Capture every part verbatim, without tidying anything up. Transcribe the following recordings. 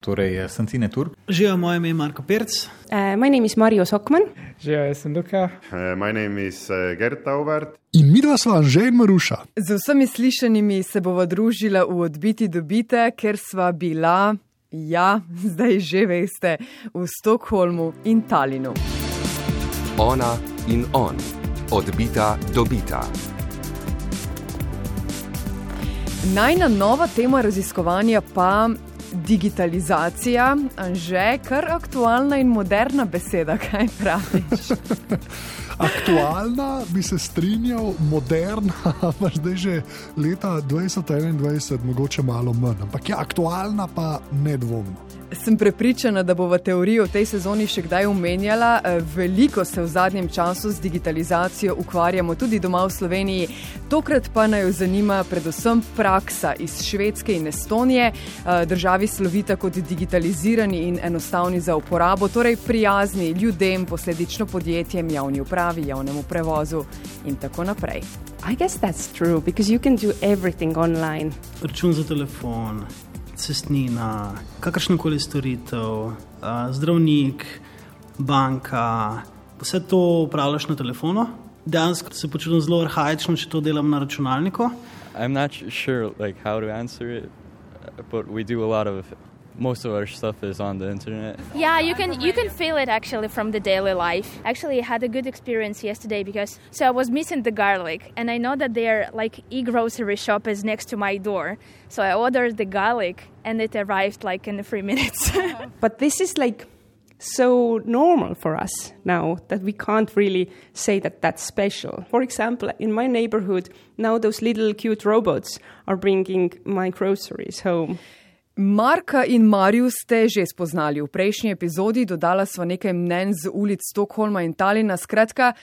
Torej, sem Tine Tur. Živijo, moje ime je Marko Perc. Uh, my name is Mario Sokman. Živijo, jaz sem Luka. Uh, my name is uh, Gert Taubert. In midva sva Anže in Maruša. Z vsemi slišanimi se bova družila v Odbiti dobite, ker sva bila, ja, zdaj že veste, v Stockholmu in Talinu. Ona in on. Odbita dobita. Najna nova tema raziskovanja pa digitalizacija. Anže, kar aktualna in moderna beseda, kaj praviš? Aktualna, bi se strinjal, moderna, pa zdaj že leta dvajset enaindvajset, mogoče malo manj. Ampak ja, aktualna pa nedvomno. Sem prepričana, da bo v teoriji v tej sezoni še kdaj omenjala. Veliko se v zadnjem času z digitalizacijo ukvarjamo tudi doma v Sloveniji. Tokrat pa naj zanima predvsem praksa iz Švedske in Estonije. Državi slovita kot digitalizirani in enostavni za uporabo, torej prijazni ljudem, posledično podjetjem, javni upravi, javnemu prevozu in tako naprej. I guess that's true, because you can do everything online. Račun za telefon, cestnina, kakršnakoli storitev, zdravnik, banka, vse to upravljaš na telefonu. Dejansko se počutim zelo arhaično, če to delam na računalniku. I'm not sure like how to answer it, but we do a lot of most of our stuff is on the internet. Yeah, you can you can feel it actually from the daily life. Actually, I had a good experience yesterday because so I was missing the garlic, and I know that their like e-grocery shop is next to my door. So I ordered the garlic, and it arrived like in three minutes. But this is like so normal for us now that we can't really say that that's special. For example, in my neighborhood, now those little cute robots are bringing my groceries home. Marka in Mariju ste že spoznali v prejšnji epizodi, dodala sva nekaj mnenj z ulic Stockholma in Talina. Skratka,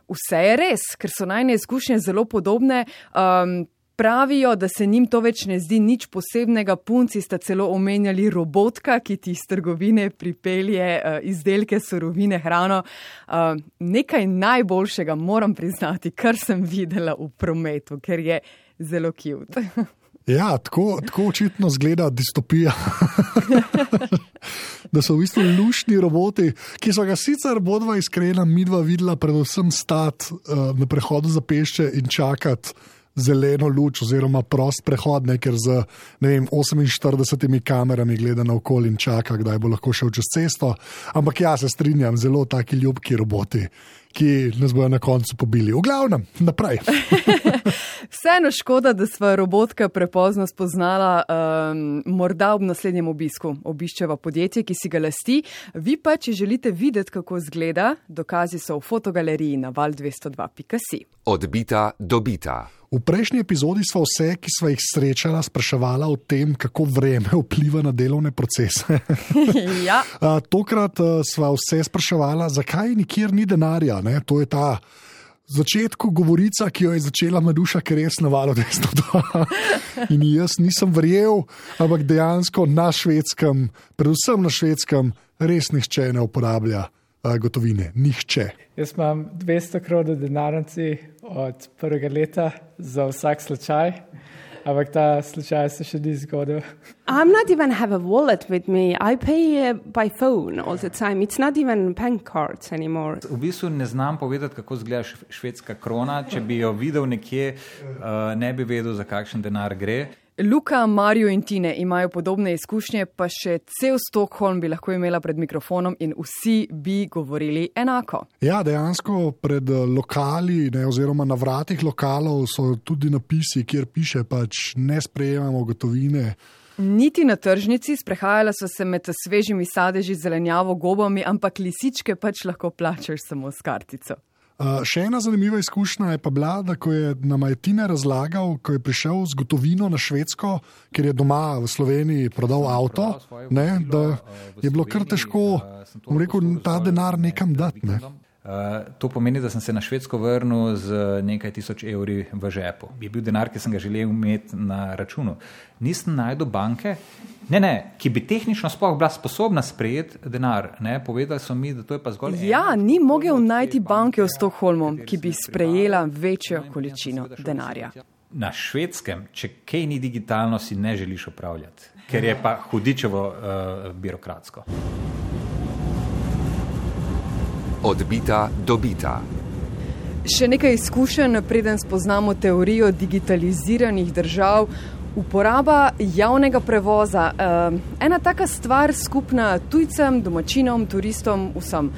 vse je res, ker so najne izkušnje zelo podobne. Um, pravijo, da se njim to več ne zdi nič posebnega. Punci sta celo omenjali robotka, ki ti iz trgovine pripelje uh, izdelke, surovine, hrano. Uh, nekaj najboljšega, moram priznati, kar sem videla v prometu, ker je zelo cute. Ja, tako, tako očitno zgleda distopija. Da so v bistvu luštni roboti, ki so ga sicer bodva iskrena midva videla predvsem stati uh, na prehodu za pešče in čakati zeleno luč oziroma prost prehod, ne, ker z ne vem, oseminštiridesetimi kamerami gleda naokoli in čaka, kdaj bo lahko šel čez cesto. Ampak ja, se strinjam, zelo taki ljubki roboti, ki nas bojo na koncu pobili. V glavnem, naprej. Vseeno škoda, da sva robotka prepozno spoznala, um, morda ob naslednjem obisku. Obiščeva podjetje, ki si ga lasti. Vi pa, če želite videti, kako izgleda, dokazi so v fotogaleriji na val dvesto dva pika si. Odbita dobita. V prejšnji epizodi sva vse, ki sva jih srečala, spraševala o tem, kako vreme vpliva na delovne procese. Ja. Tokrat sva vse spraševala, zakaj nikjer ni denarja. Ne? To je ta začetku govorica, ki jo je začela Maruša, ker res na valu dvesto dva. In jaz nisem verjel, ampak dejansko na Švedskem, predvsem na Švedskem, res nihče ne uporablja gotovine. Nihče. Jaz imam dvesto kronov denarnici od prvega leta za vsak slučaj, ampak ta slučaj se še ni zgodil. I'm not even have a wallet with me. I pay uh, by phone all the time. It's not even bank cards anymore. V bistvu ne znam povedati, kako izgleda švedska krona. Če bi jo videl nekje, uh, ne bi vedel, za kakšen denar gre. Luka, Mario in Tine imajo podobne izkušnje, pa še cel Stockholm bi lahko imela pred mikrofonom in vsi bi govorili enako. Ja, dejansko pred lokali, ne, oziroma na vratih lokalov so tudi napisi, kjer piše pač ne sprejemamo gotovine. Niti na tržnici, sprehajala so se med svežimi sadeži, zelenjavo, gobami, ampak lisičke pač lahko plačaš samo s kartico. Uh, še ena zanimiva izkušnja je pa bila, da ko je nama je Tine razlagal, ko je prišel z gotovino na Švedsko, ker je doma v Sloveniji prodal avto, ne, da je bilo kar težko, bom rekel, ta denar nekam dati. Ne. Uh, to pomeni, da sem se na Švedsko vrnil z nekaj tisoč evri v žepu. Je bil denar, ki sem ga želel imeti na računu. Nisem najdel banke, ne, ne, ki bi tehnično sploh bila sposobna sprejeti denar. Ne. Povedali so mi, da to je pa zgolj... Ja, ni mogel najti banke v Stockholmu, ki bi sprejela večjo količino denarja. Na Švedskem, če kaj ni digitalno, si ne želiš upravljati, ker je pa hudičevo uh, birokratsko. Odbita do bita. Še nekaj izkušenj, preden spoznamo teorijo digitaliziranih držav. Uporaba javnega prevoza. Ena taka stvar skupna tujcem, domačinom, turistom, vsem.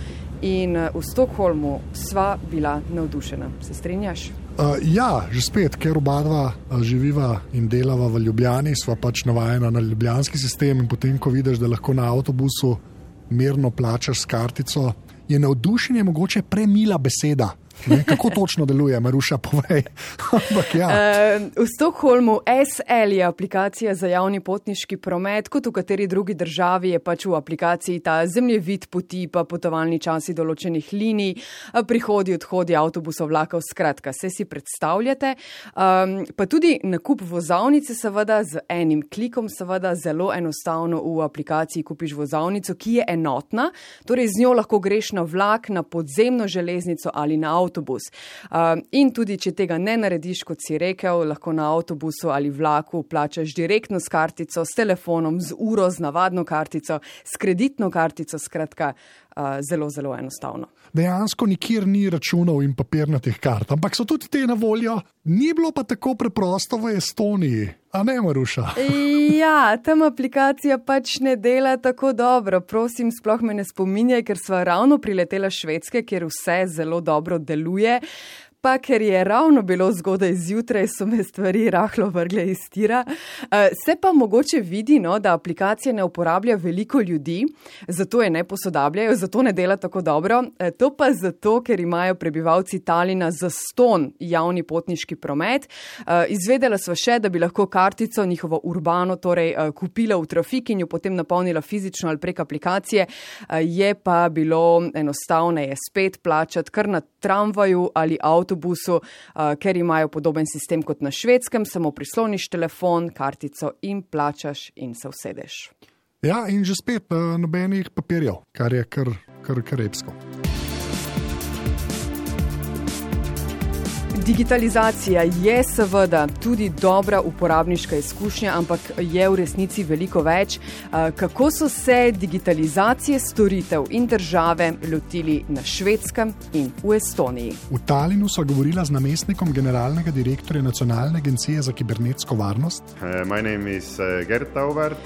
In v Stockholmu sva bila navdušena. Se strinjaš? Uh, ja, že spet, ker oba dva živiva in delava v Ljubljani, sva pač navajena na ljubljanski sistem in potem, ko vidiš, da lahko na avtobusu mirno plačaš s kartico, je navdušenje mogoče premila beseda. Ne, kako točno deluje, Maruša, povej. ja. uh, v Stockholmu S L je aplikacija za javni potniški promet, kot v kateri drugi državi je pač v aplikaciji ta zemljevid poti, pa potovalni časi določenih linij, prihodi, odhodi avtobusov, vlakov, skratka, se si predstavljate. Um, pa tudi nakup vozovnice seveda z enim klikom, seveda zelo enostavno v aplikaciji kupiš vozovnico, ki je enotna, torej z njo lahko greš na vlak, na podzemno železnico ali na avtobus. Uh, in tudi, če tega ne narediš, kot si rekel, lahko na avtobusu ali vlaku plačaš direktno s kartico, s telefonom, z uro, z navadno kartico, s kreditno kartico, skratka, uh, zelo, zelo enostavno. Dejansko nikjer ni računov in papirnatih kart, ampak so tudi te na voljo. Ni bilo pa tako preprosto v Estoniji, a ne, Maruša? Ja, tam aplikacija pač ne dela tako dobro. Prosim, sploh me ne spominjaj, ker sva ravno priletela Švedske, kjer vse zelo dobro deluje. Pa ker je ravno bilo zgodaj zjutraj, so me stvari rahlo vrgle iz tira. Se pa mogoče vidi, no, da aplikacija ne uporablja veliko ljudi, zato je ne posodabljajo, zato ne dela tako dobro. To pa zato, ker imajo prebivalci Talina zastonj javni potniški promet. Izvedela sva še, da bi lahko kartico, njihovo urbano, torej kupila v trafik in jo potem napolnila fizično ali prek aplikacije. Je pa bilo enostavneje spet plačati kar na tramvaju ali avtobusu, uh, ker imajo podoben sistem kot na Švedskem, samo prisloniš telefon, kartico in plačaš in se usedeš. Ja, in že spet uh, nobenih papirjev, kar je kar, kar, kar repsko. Digitalizacija je seveda tudi dobra uporabniška izkušnja, ampak je v resnici veliko več. Kako so se digitalizacije storitev in države lotili na Švedskem in v Estoniji? V Talinu so govorila z namestnikom generalnega direktorja Nacionalne agencije za kibernetsko varnost. Uh, my name is uh, Gert Taubert.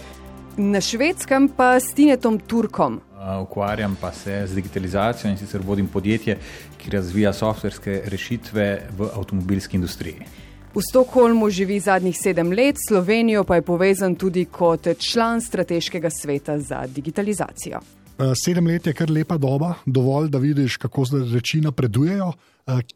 Na Švedskem pa s Tinetom Turkom. Ukvarjam pa se z digitalizacijo in sicer vodim podjetje, ki razvija softverske rešitve v avtomobilski industriji. V Stockholmu živi zadnjih sedem let, Slovenijo pa je povezan tudi kot član strateškega sveta za digitalizacijo. Sedem let je kar lepa doba, dovolj, da vidiš, kako reči napredujejo.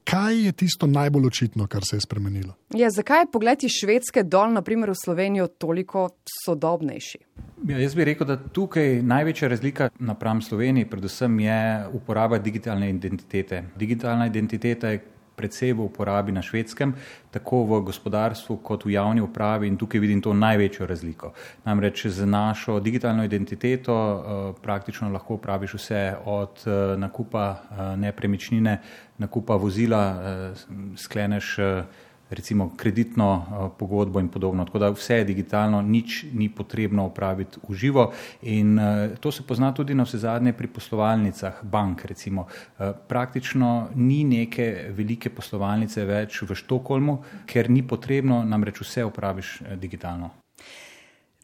Kaj je tisto najbolj očitno, kar se je spremenilo? Ja, zakaj je pogled iz Švedske dol, na primer v Slovenijo, toliko sodobnejši? Ja, jaz bi rekel, da tukaj največja razlika napram Sloveniji predvsem je uporaba digitalne identitete. Digitalna identiteta je predvsej v uporabi na Švedskem, tako v gospodarstvu kot v javni upravi in tukaj vidim to največjo razliko. Namreč z našo digitalno identiteto uh, praktično lahko upraviš vse od uh, nakupa uh, nepremičnine, nakupa vozila, uh, skleneš uh, recimo kreditno uh, pogodbo in podobno. Tako da vse je digitalno, nič ni potrebno upraviti v živo in uh, to se pozna tudi na vse zadnje pri poslovalnicah bank. Recimo. Uh, praktično ni neke velike poslovalnice več v Stockholmu, ker ni potrebno, namreč vse upraviš uh, digitalno.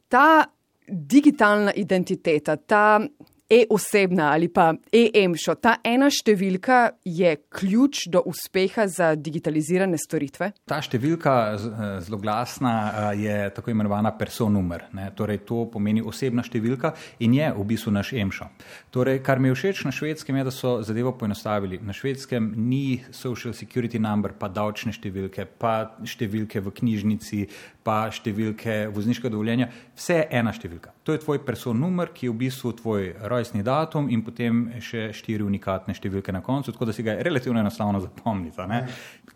Ta digitalna identiteta, ta e-osebna ali pa e-emšo, ta ena številka je ključ do uspeha za digitalizirane storitve? Ta številka zloglasna je tako imenovana personumer. Ne? Torej, to pomeni osebna številka in je v bistvu naš emšo. Torej, kar mi je všeč na Švedskem je, da so zadevo poenostavili. Na Švedskem ni social security number, pa davčne številke, pa številke v knjižnici, pa številke vozniškega dovoljenja, vse je ena številka. To je tvoj person numer, ki je v bistvu tvoj rojstni datum in potem še štiri unikatne številke na koncu, tako da si ga je relativno enostavno zapomniti. Ne?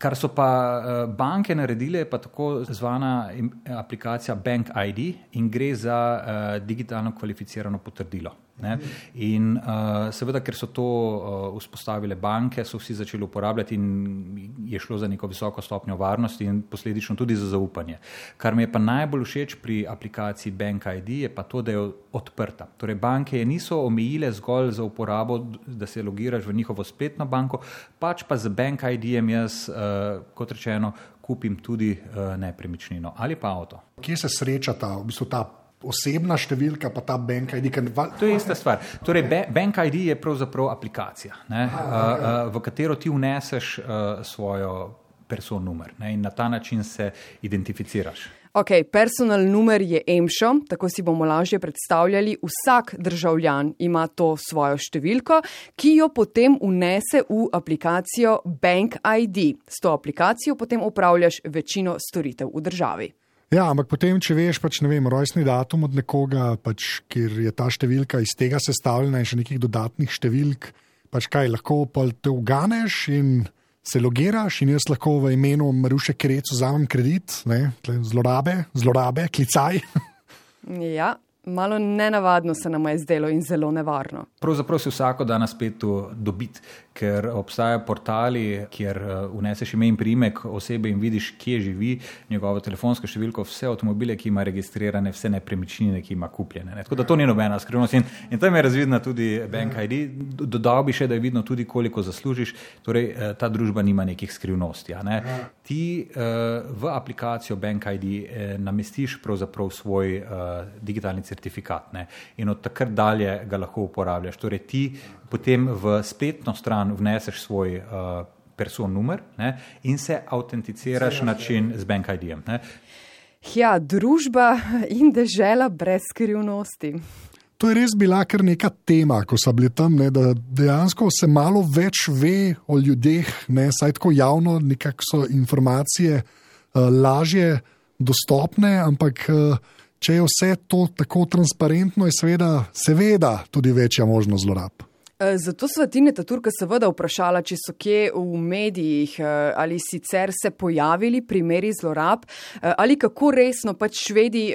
Kar so pa banke naredile, je pa tako zvana aplikacija Bank I D in gre za uh, digitalno kvalificirano potrdilo. Ne? In uh, seveda, ker so to uh, vzpostavile banke, so vsi začeli uporabljati in je šlo za neko visoko stopnjo varnosti in posledično tudi za zaupanje. Kar mi je pa najbolj všeč pri aplikaciji Bank I D je pa to, da je odprta. Torej, banke je niso omejile zgolj za uporabo, da se logiraš v njihovo spletno banko, pač pa z Bank I D-jem jaz, uh, kot rečeno, kupim tudi uh, nepremičnino ali pa avto. Kje se srečata v bistvu ta osebna številka pa ta Bank I D? To je ista stvar. Torej, Bank I D je pravzaprav aplikacija, ne, uh, uh, v katero ti vneseš uh, svojo person numer, ne, in na ta način se identificiraš. Ok, personal numer je EMŠO, tako si bomo lažje predstavljali. Vsak državljan ima to svojo številko, ki jo potem vnese v aplikacijo Bank I D. S to aplikacijo potem upravljaš večino storitev v državi. Ja, ampak potem, če veš, pač, ne vem, rojstni datum od nekoga, pač, kjer je ta številka iz tega sestavljena in še nekih dodatnih številk, pač kaj, lahko pa te uganeš in se logiraš in jaz lahko v imenu Maruše Krec vzamem kredit, ne, zlorabe, zlorabe, klicaj. Ja, malo nenavadno se nam je zdelo in zelo nevarno. Pravzaprav si vsako da na spletu dobiti, ker obstajajo portali, kjer vneseš ime in priimek osebe in vidiš, kje živi, njegovo telefonsko številko, vse avtomobile, ki ima registrirane, vse nepremičnine, ki ima kupljene. Ne? Tako da to ni nobena skrivnost. In, in tam je razvidna tudi Bank I D. Dodal bi še, da je vidno tudi, koliko zaslužiš. Torej, ta družba nima nekih skrivnosti. Ne? Ti v aplikacijo Bank I D namestiš pravzaprav svoj digitalni certifikat, ne? In od takrat dalje ga lahko uporabljaš. Torej, ti potem v spletno stran vneseš svoj uh, person numer, ne, in se autenticiraš način z Bank I D-jem. Ne. Ja, družba in dežela brez skrivnosti. To je res bila kar neka tema, ko so bili tam, ne, da dejansko se malo več ve o ljudeh, ne, saj tako javno nekako so informacije uh, lažje dostopne, ampak uh, če je vse to tako transparentno, je seveda, seveda tudi večja možnost zlorab. Zato sva Tineta Turka seveda vprašala, če so kje v medijih ali sicer se pojavili primeri zlorab ali kako resno pač Švedi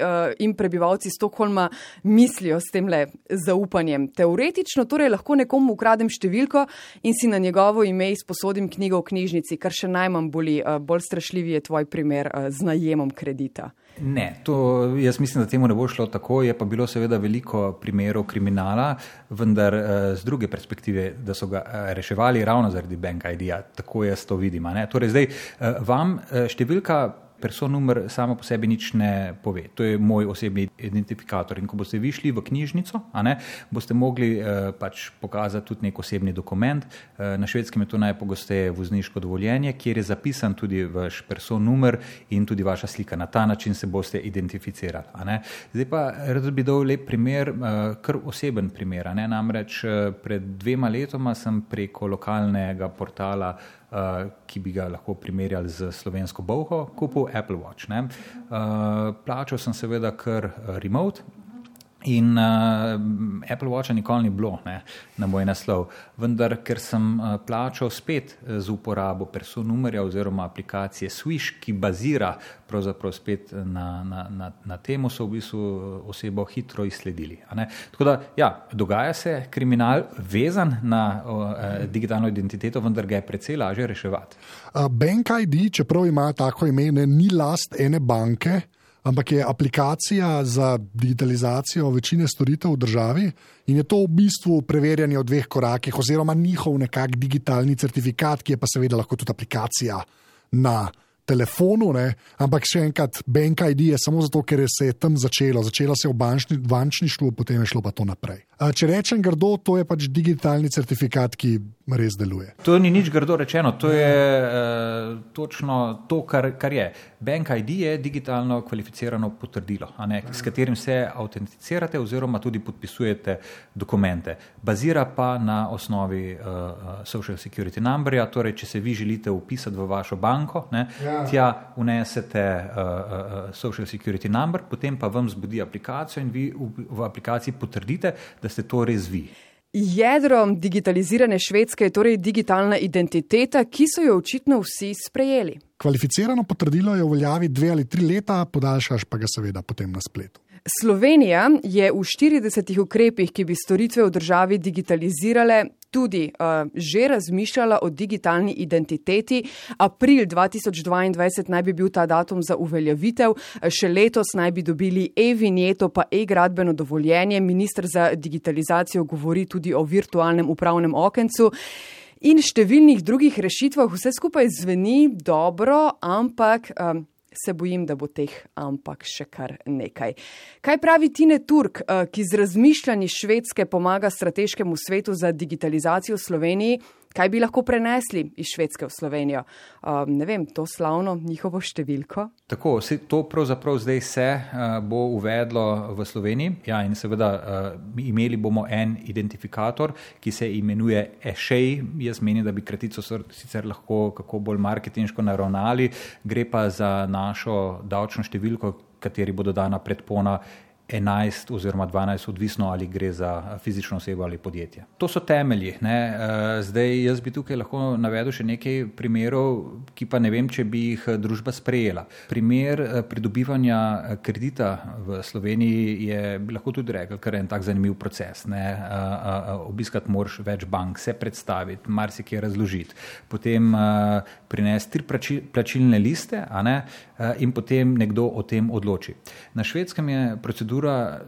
in prebivalci Stockholma mislijo s temle zaupanjem. Teoretično torej lahko nekomu ukradem številko in si na njegovo ime izposodim knjigo v knjižnici, kar še najmanj boli. Bolj strašljiv je tvoj primer z najemom kredita. Ne, to jaz mislim, da temu ne bo šlo tako, je pa bilo seveda veliko primerov kriminala, vendar z druge perspektive, da so ga reševali ravno zaradi Bank I D-ja, tako jaz to vidim. Ne? Torej zdaj, vam številka person numer samo po sebi nič ne pove. To je moj osebni identifikator. In ko boste vi šli v knjižnico, a ne, boste mogli eh, pač pokazati tudi nek osebni dokument. Eh, na Švedskem je to najpogosteje vozniško dovoljenje, kjer je zapisan tudi vaš person numer in tudi vaša slika. Na ta način se boste identificirali. A ne. Zdaj pa rad bi dal lep primer, eh, kar oseben primer. A ne. Namreč eh, pred dvema letoma sem preko lokalnega portala, Uh, ki bi ga lahko primerjali z slovensko bolho, kupil Apple Watch. Ne? Uh, plačal sem seveda kar remote in uh, Apple Watcha nikoli ni bilo, ne, na moj naslov. Vendar, ker sem uh, plačal spet z uporabo person numerja oziroma aplikacije Swish, ki bazira pravzaprav spet na, na, na, na temu, so v bistvu osebo hitro izsledili. A ne? Tako da, ja, dogaja se kriminal vezan na uh, digitalno identiteto, vendar ga je precej lažje reševati. Uh, Bank I D, čeprav ima tako ime, ne, ni last ene banke, ampak je aplikacija za digitalizacijo večine storitev v državi in je to v bistvu preverjanje v dveh korakih oziroma njihov nekak digitalni certifikat, ki je pa seveda lahko tudi aplikacija na telefonu, ne? Ampak še enkrat, Bank I D je samo zato, ker se je tam začelo. Začelo se je v bančni, bančništvu, potem je šlo pa to naprej. Če rečem grdo, to je pač digitalni certifikat, ki res deluje. To ni nič grdo rečeno, to je uh, točno to, kar, kar je. Bank I D je digitalno kvalificirano potrdilo, a ne, s katerim se autenticirate oziroma tudi podpisujete dokumente. Bazira pa na osnovi uh, Social Security numberja, torej če se vi želite upisati v vašo banko, ne, ja. Tja vnesete uh, uh, social security number, potem pa vam zbudi aplikacijo in vi v, v aplikaciji potrdite, da ste to res vi. Jedro digitalizirane Švedske je torej digitalna identiteta, ki so jo očitno vsi sprejeli. Kvalificirano potrdilo je v veljavi dve ali tri leta, podaljšaš pa ga seveda potem na spletu. Slovenija je v štiridesetih ukrepih, ki bi storitve v državi digitalizirale, tudi uh, že razmišljala o digitalni identiteti. April dva tisoč dvaindvajset naj bi bil ta datum za uveljavitev, še letos naj bi dobili e-vinjeto pa e-gradbeno dovoljenje. Minister za digitalizacijo govori tudi o virtualnem upravnem okencu in številnih drugih rešitvah. Vse skupaj zveni dobro, ampak um, se bojim, da bo teh ampak še kar nekaj. Kaj pravi Tine Turk, ki z razmišljanji Švedske pomaga strateškemu svetu za digitalizacijo v Sloveniji? Kaj bi lahko prenesli iz Švedske v Slovenijo? Um, ne vem, to slavno njihovo številko? Tako, to pravzaprav zdaj se uh, bo uvedlo v Sloveniji. Ja, in seveda uh, imeli bomo en identifikator, ki se imenuje e-šej. Jaz menim, da bi kratico sicer lahko kako bolj marketinško naravnali. Gre pa za našo davčno številko, kateri bo dodana predpona enajst oziroma dvanajst, odvisno ali gre za fizično osebo ali podjetje. To so temelji. Ne? Zdaj, jaz bi tukaj lahko navedel še nekaj primerov, ki pa ne vem, če bi jih družba sprejela. Primer pridobivanja kredita v Sloveniji je, bi lahko tudi rekel, kar je en tak zanimiv proces. Ne? Obiskati moraš več bank, se predstaviti, marsikaj razložiti, potem prinesti tri plačilne liste, a ne? In potem nekdo o tem odloči. Na Švedskem je procedura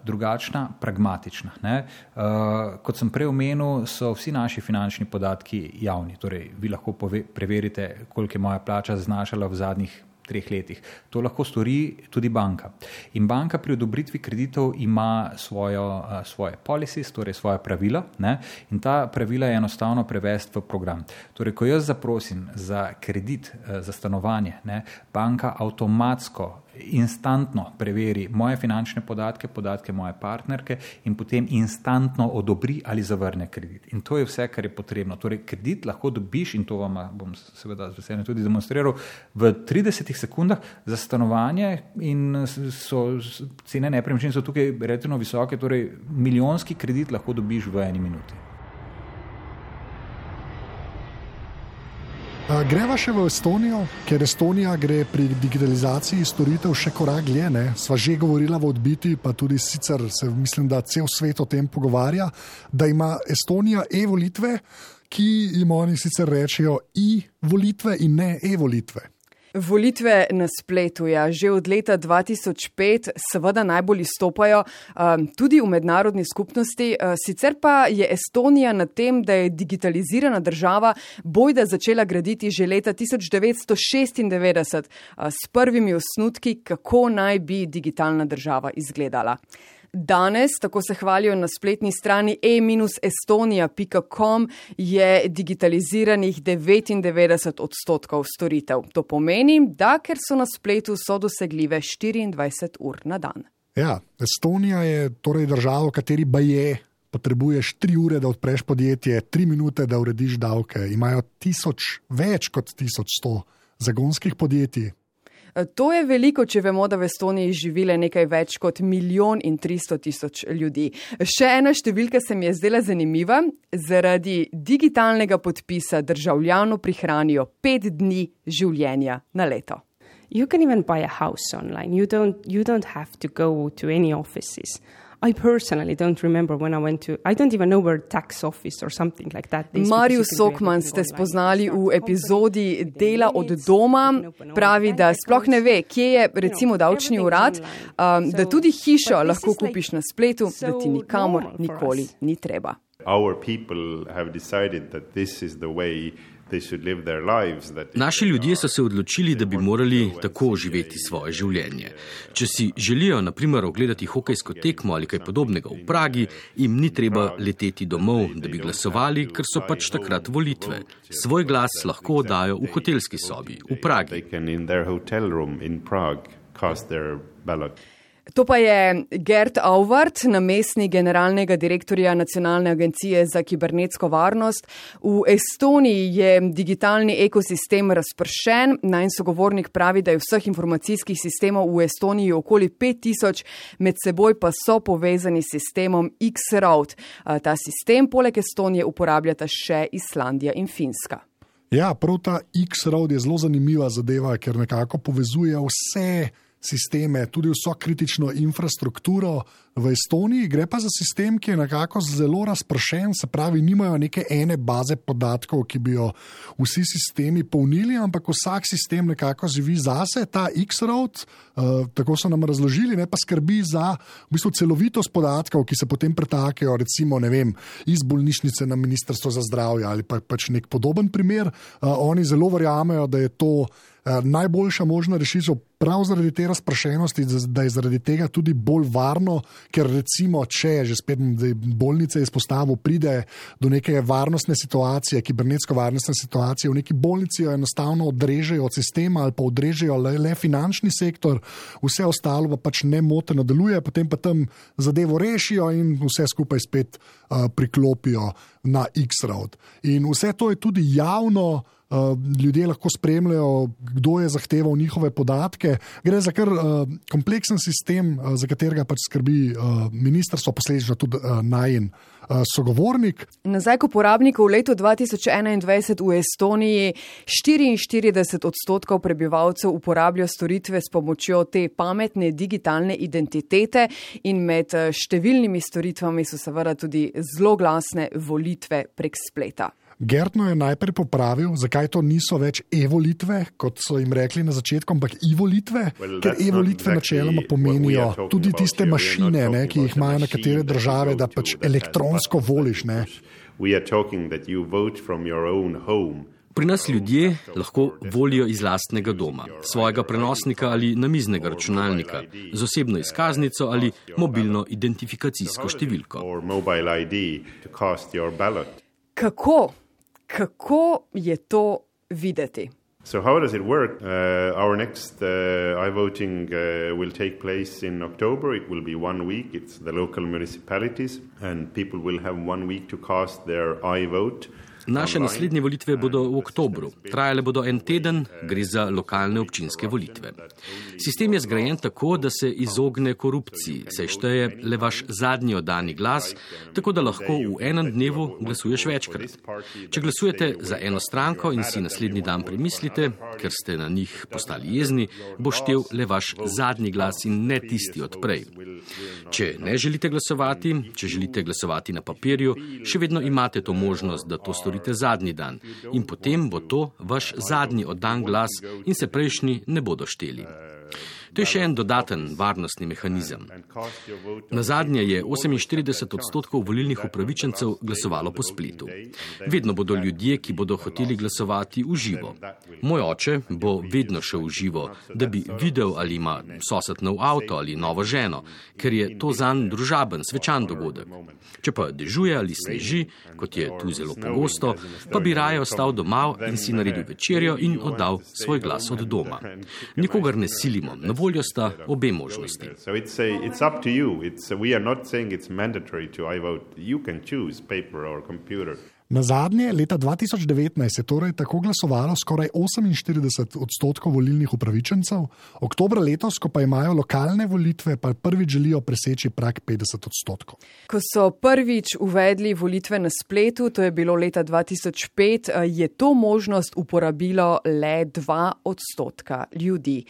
drugačna, pragmatična. Ne? Uh, kot sem prej omenil, so vsi naši finančni podatki javni. Torej, vi lahko pove, preverite, koliko je moja plača znašala v zadnjih treh letih. To lahko stori tudi banka. In banka pri odobritvi kreditov ima svojo, uh, svoje policies, torej svoje pravila, ne? In ta pravila je enostavno prevesti v program. Torej, ko jaz zaprosim za kredit, uh, za stanovanje, ne? Banka avtomatsko instantno preveri moje finančne podatke, podatke moje partnerke in potem instantno odobri ali zavrne kredit. In to je vse, kar je potrebno. Torej, kredit lahko dobiš, in to vam bom seveda z veseljem tudi demonstriral, v tridesetih sekundah za stanovanje, in so cene nepremičnin so tukaj relativno visoke, torej milijonski kredit lahko dobiš v eni minuti. Greva še v Estonijo, ker Estonija gre pri digitalizaciji storitev še korak dlje, ne? Sva že govorila v odbiti, pa tudi sicer se mislim, da cel svet o tem pogovarja, da ima Estonija e-volitve, ki jim oni sicer rečejo i-volitve in ne e-volitve. Volitve na spletu, ja, že od leta dva tisoč pet seveda najbolj izstopajo um, tudi v mednarodni skupnosti. Uh, sicer pa je Estonija na tem, da je digitalizirana država bojda začela graditi že leta tisoč devetsto šestindevetdeset uh, s prvimi osnutki, kako naj bi digitalna država izgledala. Danes, tako se hvalijo na spletni strani e estonia pika com, je digitaliziranih devetindevetdeset odstotkov storitev. To pomeni, da ker so na spletu, so dosegljive štiriindvajset ur na dan. Ja, Estonija je torej država, v kateri baje potrebuješ tri ure, da odpreš podjetje, tri minute, da urediš davke. Imajo tisoč, več kot tisoč sto zagonskih podjetij. To je veliko, če vemo, da v Estoniji živile nekaj več kot milijon in tristo tisoč ljudi. Še ena številka se mi je zdela zanimiva. Zaradi digitalnega podpisa državljanu prihranijo pet dni življenja na leto. You can even buy a house online. You don't, you don't have to go to any offices. I personally don't remember when I went to, I don't even know where tax office or something like that. Marius Sokman ste spoznali v epizodi Dela od doma. Pravi, da sploh ne ve, kje je recimo davčni urad, um, da tudi hišo lahko kupiš na spletu, da ti nikamor nikoli ni treba. Our people have decided that this is the way Naši ljudje so se odločili, da bi morali tako živeti svoje življenje. Če si želijo, na primer, ogledati hokejsko tekmo ali kaj podobnega v Pragi, jim ni treba leteti domov, da bi glasovali, ker so pač takrat volitve. Svoj glas lahko oddajo v hotelski sobi v Pragi. To pa je Gert Auwart, namestnik generalnega direktorja Nacionalne agencije za kibernetsko varnost. V Estoniji je digitalni ekosistem razpršen. Najin sogovornik pravi, da je vseh informacijskih sistemov v Estoniji okoli pet tisoč, med seboj pa so povezani s sistemom X-Road. Ta sistem poleg Estonije uporabljata še Islandija in Finska. Ja, prav ta X-Road je zelo zanimiva zadeva, ker nekako povezuje vse sisteme, tudi vso kritično infrastrukturo v Estoniji. Gre pa za sistem, ki je nekako zelo razpršen, se pravi, nimajo neke ene baze podatkov, ki bi jo vsi sistemi polnili, ampak vsak sistem nekako živi zase. Ta X-Road, uh, tako so nam razložili, ne, pa skrbi za v bistvu celovitost podatkov, ki se potem pretakajo, recimo, ne vem, iz bolnišnice na Ministrstvo za zdravje ali pa pač nek podoben primer. Uh, oni zelo verjamejo, da je to uh, najboljša možna rešitev prav zaradi te razprašenosti, da je zaradi tega tudi bolj varno, ker recimo, če že spet bolnice izpostavil, pride do neke varnostne situacije, kibernetsko varnostne situacije, v neki bolnici jo enostavno odrežejo od sistema ali pa odrežejo le, le finančni sektor, vse ostalo pa pač nemoteno deluje, potem pa tam zadevo rešijo in vse skupaj spet uh, priklopijo na X-Road. In vse to je tudi javno. Uh, ljudje lahko spremljajo, kdo je zahteval njihove podatke. Gre za kar uh, kompleksen sistem, uh, za katerega pač skrbi uh, ministrstvo, posledično tudi uh, najin uh, sogovornik. Nazaj k uporabniku v letu dva tisoč enaindvajset v Estoniji štiriinštirideset odstotkov prebivalcev uporablja storitve s pomočjo te pametne digitalne identitete in med številnimi storitvami so seveda tudi zloglasne volitve prek spleta. Gertno je najprej popravil, zakaj to niso več e-volitve, kot so jim rekli na začetku, ampak i-volitve, well, ker e-volitve exactly načeloma pomenijo tudi tiste mašine, ne, ki jih imajo nekatere države, da pač elektronsko voliš. Ne. Pri nas ljudje lahko volijo iz lastnega doma, svojega prenosnika ali namiznega računalnika, z osebno izkaznico ali mobilno identifikacijsko številko. Kako? Kako je to videti? So how does it work? Uh, our next uh, iVoting uh, will take place in October. It will be one week. It's the local municipalities and people will have one week to cast their iVote. Naše naslednje volitve bodo v oktobru. Trajale bodo en teden, gre za lokalne občinske volitve. Sistem je zgrajen tako, da se izogne korupciji, saj šteje le vaš zadnji oddani glas, tako da lahko v enem dnevu glasuješ večkrat. Če glasujete za eno stranko in si naslednji dan premislite, ker ste na njih postali jezni, bo štel le vaš zadnji glas in ne tisti od prej. Če ne želite glasovati, če želite glasovati na papirju, še vedno imate to možnost, da to storite zadnji dan in potem bo to vaš zadnji oddan glas in se prejšnji ne bodo šteli. To je še en dodaten varnostni mehanizem. Na zadnje je oseminštirideset odstotkov volilnih upravičencev glasovalo po spletu. Vedno bodo ljudje, ki bodo hoteli glasovati v živo. Moj oče bo vedno šel v živo, da bi videl, ali ima sosed nov avto ali novo ženo, ker je to zanj družaben, svečan dogodek. Če pa dežuje ali sneži, kot je tu zelo pogosto, pa bi raje ostal doma in si naredil večerjo in oddal svoj glas od doma. Nikogar ne silimo, na voljo sta obe možnosti. So it's a, it's up to you. It's, we are not saying it's mandatory to iVote. You can choose paper or computer. Na zadnje, leta dva tisoč devetnajst je torej tako glasovalo skoraj oseminštirideset odstotkov volilnih upravičencev, oktobra letos, ko pa imajo lokalne volitve, pa prvič želijo preseči prag petdeset odstotkov. Ko so prvič uvedli volitve na spletu, to je bilo leta dva tisoč pet, je to možnost uporabilo le dva odstotka ljudi.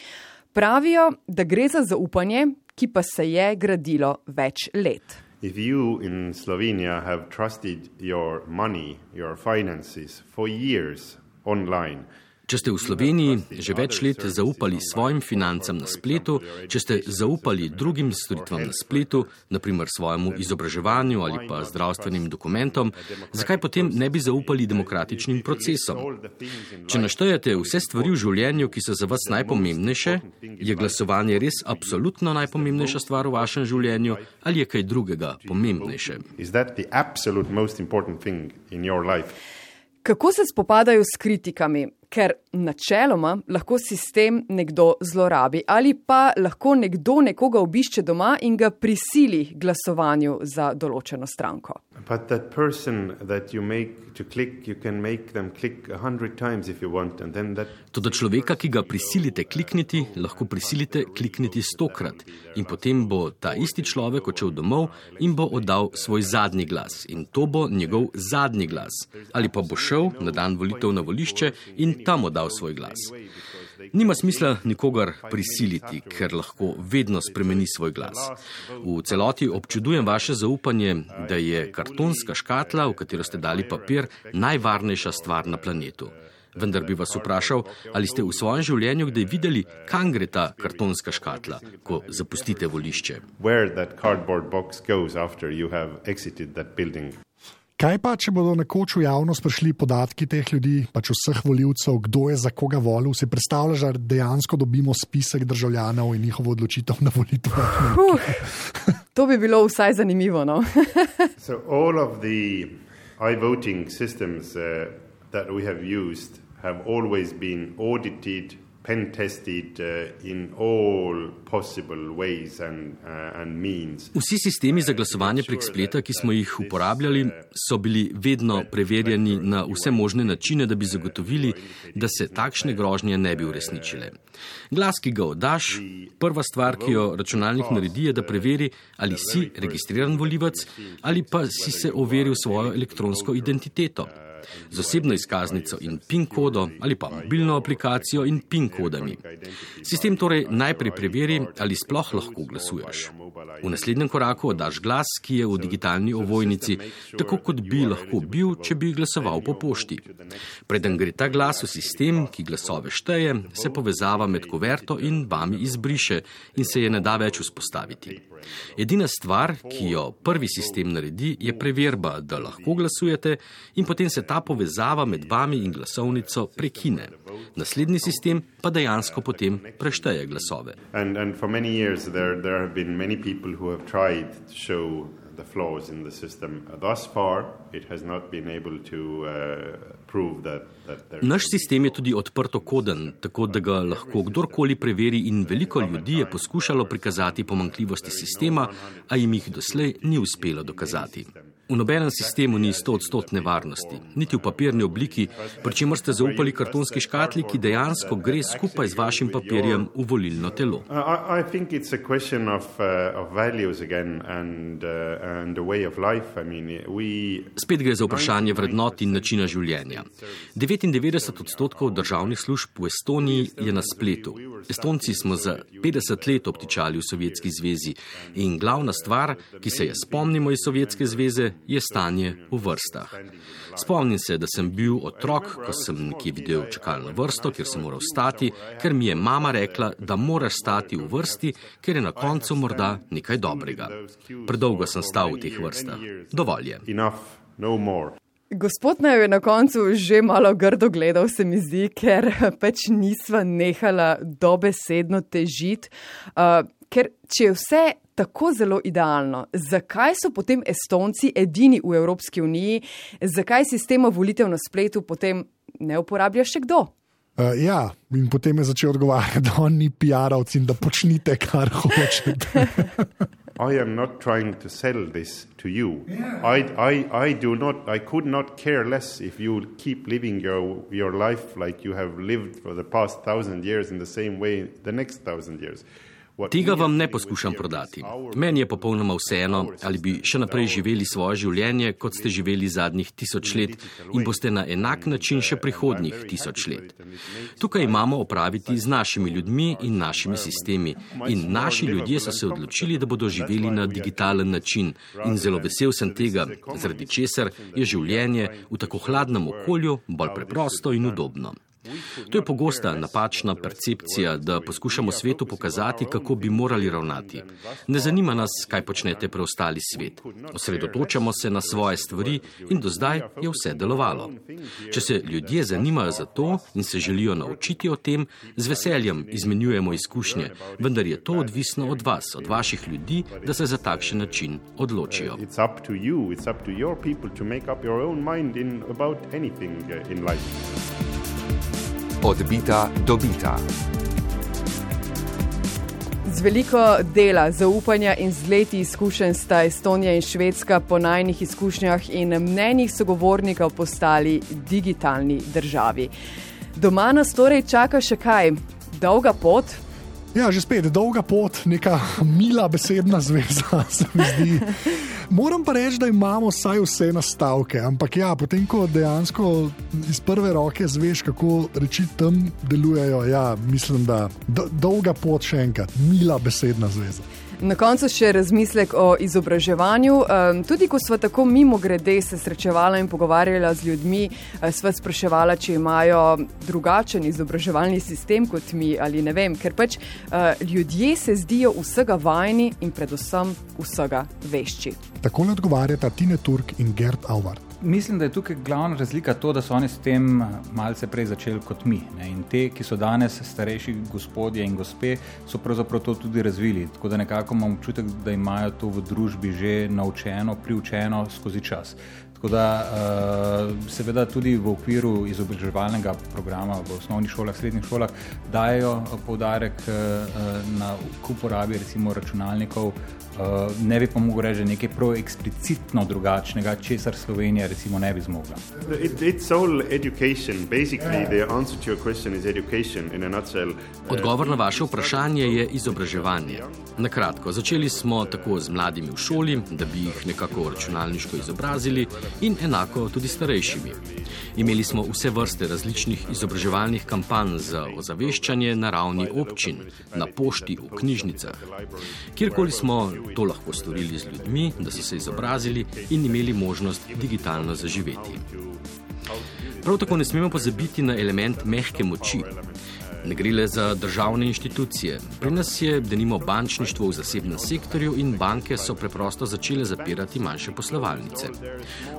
Pravijo, da gre za zaupanje, ki pa se je gradilo več let. If you in Slovenia have trusted your money, your finances for years online, Če ste v Sloveniji že več let zaupali svojim financam na spletu, če ste zaupali drugim storitvam na spletu, naprimer svojemu izobraževanju ali pa zdravstvenim dokumentom, zakaj potem ne bi zaupali demokratičnim procesom? Če naštejete vse stvari v življenju, ki so za vas najpomembnejše, je glasovanje res absolutno najpomembnejša stvar v vašem življenju ali je kaj drugega pomembnejše? Is that the absolute most important thing in your life? Kako se spopadajo s kritikami? Ker načeloma lahko sistem nekdo zlorabi ali pa lahko nekdo nekoga obišče doma in ga prisili glasovanju za določeno stranko. But that person that you make to click, you can make them click a hundred times if you want, and then that... Toda človeka, ki ga prisilite klikniti, lahko prisilite klikniti stokrat in potem bo ta isti človek odšel domov in bo oddal svoj zadnji glas in to bo njegov zadnji glas. Ali pa bo šel na dan volitev na volišče in tam oddal svoj glas. Nima smisla nikogar prisiliti, ker lahko vedno spremeni svoj glas. V celoti občudujem vaše zaupanje, da je kartonska škatla, v katero ste dali papir, najvarnejša stvar na planetu. Vendar bi vas vprašal, ali ste v svojem življenju kdaj videli, kam gre ta kartonska škatla, ko zapustite volišče. Where that cardboard box goes after you have exited that building. Kaj pa, če bodo nekoč v javnost prišli podatki teh ljudi, pač vseh volivcev, kdo je za koga volil, si predstavljaš, da dejansko dobimo spisek državljanov in njihovo odločitev na volitvah? Uh, to bi bilo vsaj zanimivo, no? So all of the i-voting systems uh, that we have used have always been audited, pen tested uh, in all possible ways and, uh, and means. Vsi sistemi za glasovanje prek spleta, ki smo jih uporabljali, so bili vedno preverjeni na vse možne načine, da bi zagotovili, da se takšne grožnje ne bi uresničile. Glas, ki ga oddaš, prva stvar, ki jo računalnik naredi, je, da preveri, ali si registriran volivec ali pa si se overil svojo elektronsko identiteto. Z osebno izkaznico in PIN kodo ali pa mobilno aplikacijo in PIN kodami. Sistem torej najprej preveri, ali sploh lahko glasuješ. V naslednjem koraku oddaš glas, ki je v digitalni ovojnici, tako kot bi lahko bil, če bi glasoval po pošti. Preden gre ta glas v sistem, ki glasove šteje, se povezava med kuverto in vami izbriše in se je ne da več vzpostaviti. Edina stvar, ki jo prvi sistem naredi, je preverba, da lahko glasujete in potem se ta povezava med vami in glasovnico prekine. Naslednji sistem pa dejansko potem prešteje glasove. And, and for many years there, there have been many people who have tried to show the flaws in the system. Thus far, it has not been able to uh, prove that, that there... Naš sistem je tudi odprtokoden, tako da ga lahko kdorkoli preveri in veliko ljudi je poskušalo prikazati pomanjkljivosti sistema, a jim jih doslej ni uspelo dokazati. V nobenem sistemu ni stoodstotne varnosti, niti v papirni obliki, pri čemer ste zaupali kartonski škatli, ki dejansko gre skupaj z vašim papirjem v volilno telo. I, I think it's a question of, uh, of values again and, uh, and the way of life. I mean, we... Spet gre za vprašanje vrednot in načina življenja. devetindevetdeset odstotkov državnih služb v Estoniji je na spletu. Estonci smo za petdeset let obtičali v Sovjetski zvezi in glavna stvar, ki se je spomnimo iz Sovjetske zveze, je stanje v vrstah. Spomnim se, da sem bil otrok, ko sem nekje videl čakalno vrsto, kjer sem moral stati, ker mi je mama rekla, da moraš stati v vrsti, ker je na koncu morda nekaj dobrega. Predolgo sem stal v teh vrstah. Dovolj je. Gospod naj je na koncu že malo grdo gledal, se mi zdi, ker pač nisva nehala dobesedno težiti. Uh, ker če je vse tako zelo idealno, zakaj so potem Estonci edini v Evropski uniji, zakaj sistema volitev na spletu potem ne uporablja še kdo? Uh, ja, in potem je začel odgovarjati, da on ni P R-ovc in da počnite, kar hočete. I am not trying to sell this to you. Yeah. I, I, I do not, I could not care less if you keep living your, your life like you have lived for the past thousand years in the same way the next thousand years. Tega vam ne poskušam prodati. Meni je popolnoma vseeno, ali bi še naprej živeli svoje življenje, kot ste živeli zadnjih tisoč let in boste na enak način še prihodnjih tisoč let. Tukaj imamo opraviti z našimi ljudmi in našimi sistemi. In naši ljudje so se odločili, da bodo živeli na digitalen način. In zelo vesel sem tega, zaradi česar je življenje v tako hladnem okolju bolj preprosto in udobno. To je pogosta napačna percepcija, da poskušamo svetu pokazati, kako bi morali ravnati. Ne zanima nas, kaj počnete preostali svet. Osredotočamo se na svoje stvari in do zdaj je vse delovalo. Če se ljudje zanimajo za to in se želijo naučiti o tem, z veseljem izmenjujemo izkušnje, vendar je to odvisno od vas, od vaših ljudi, da se za takšen način odločijo. It's up to you, it's up to your people to make up your own mind in about anything in life. Odbita, dobita. Z veliko dela, zaupanja in z leti izkušenj sta Estonija in Švedska po najnih izkušnjah in mnenjih sogovornikov postali digitalni državi. Doma nas torej čaka še kaj? Dolga pot? Ja, že spet, dolga pot, neka mila besedna zveza, se mi zdi. Moram pa reči, da imamo vsaj vse nastavke, ampak ja, potem, ko dejansko iz prve roke zveš, kako reči tam delujejo, ja, mislim, da do, dolga pot še enkrat, mila besedna zveza. Na koncu še razmislek o izobraževanju. Tudi ko sva tako mimo grede se srečevala in pogovarjala z ljudmi, sva spraševala, če imajo drugačen izobraževalni sistem kot mi ali ne vem, ker pač ljudje se zdijo vsega vajni in predvsem vsega vešči. Tako ne odgovarjata Tine Turk in Gert Auvart. Mislim, da je tukaj glavna razlika to, da so oni s tem malce prej začeli kot mi. Ne? In te, ki so danes starejši gospodje in gospe, so pravzaprav to tudi razvili. Tako da nekako imam občutek, da imajo to v družbi že naučeno, priučeno skozi čas. Tako da seveda tudi v okviru izobraževalnega programa v osnovnih šolah, srednjih šolah dajo poudarek na uporabi recimo računalnikov. Ne bi pa mogel reči nekaj prav eksplicitno drugačnega, česar Slovenija recimo ne bi zmogla. It, it's all education. Basically, the answer to your question is education in a nutshell. Odgovor na vaše vprašanje je izobraževanje. Na kratko, začeli smo tako z mladimi v šoli, da bi jih nekako računalniško izobrazili in enako tudi starejšimi. Imeli smo vse vrste različnih izobraževalnih kampanj za ozaveščanje na ravni občin, na pošti, v knjižnicah. Kjerkoli smo to lahko storili z ljudmi, da so se izobrazili in imeli možnost digitalno zaživeti. Prav tako ne smemo pozabiti na element mehke moči. Ne gre le za državne inštitucije. Pri nas je denimo bančništvo v zasebnem sektorju in banke so preprosto začele zapirati manjše poslovalnice.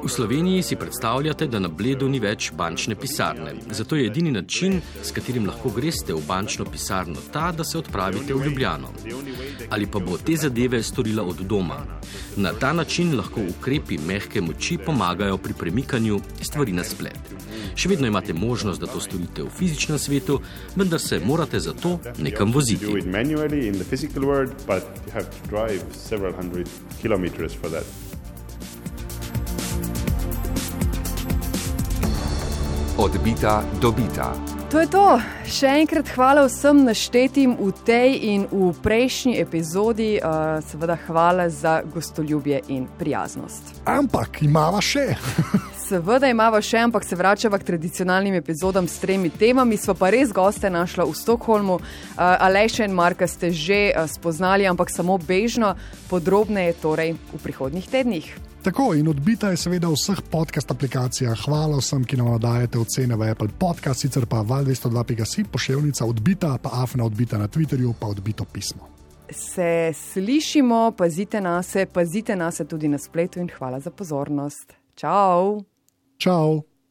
V Sloveniji si predstavljate, da na Bledu ni več bančne pisarne. Zato je edini način, s katerim lahko greste v bančno pisarno, ta, da se odpravite v Ljubljano. Ali pa bo te zadeve storila od doma. Na ta način lahko ukrepi mehke moči pomagajo pri premikanju stvari na splet. Še vedno imate možnost, da to storite v fizičnem svetu, vendar se morate za to nekam voziti. Odbita, dobita. To je to. Še enkrat hvala vsem naštetim v tej in v prejšnji epizodi. Uh, seveda hvala za gostoljubje in prijaznost. Ampak imava še. Seveda imava še, ampak se vračava k tradicionalnim epizodam s tremi temami. Sva pa res goste našla v Stockholmu. Uh, Aleša in Marka ste že uh, spoznali, ampak samo bežno. Podrobneje torej v prihodnjih tednih. Tako, in Odbita je seveda v vseh podcast aplikacijah. Hvala vsem, ki nam dajete ocene v Apple Podcast, sicer pa val dvesto dva pika si, poševnica Odbita, pa afna Odbita na Twitterju, pa Odbito pismo. Se slišimo, pazite nase, pazite nase tudi na spletu in hvala za pozornost. Čau! Čau!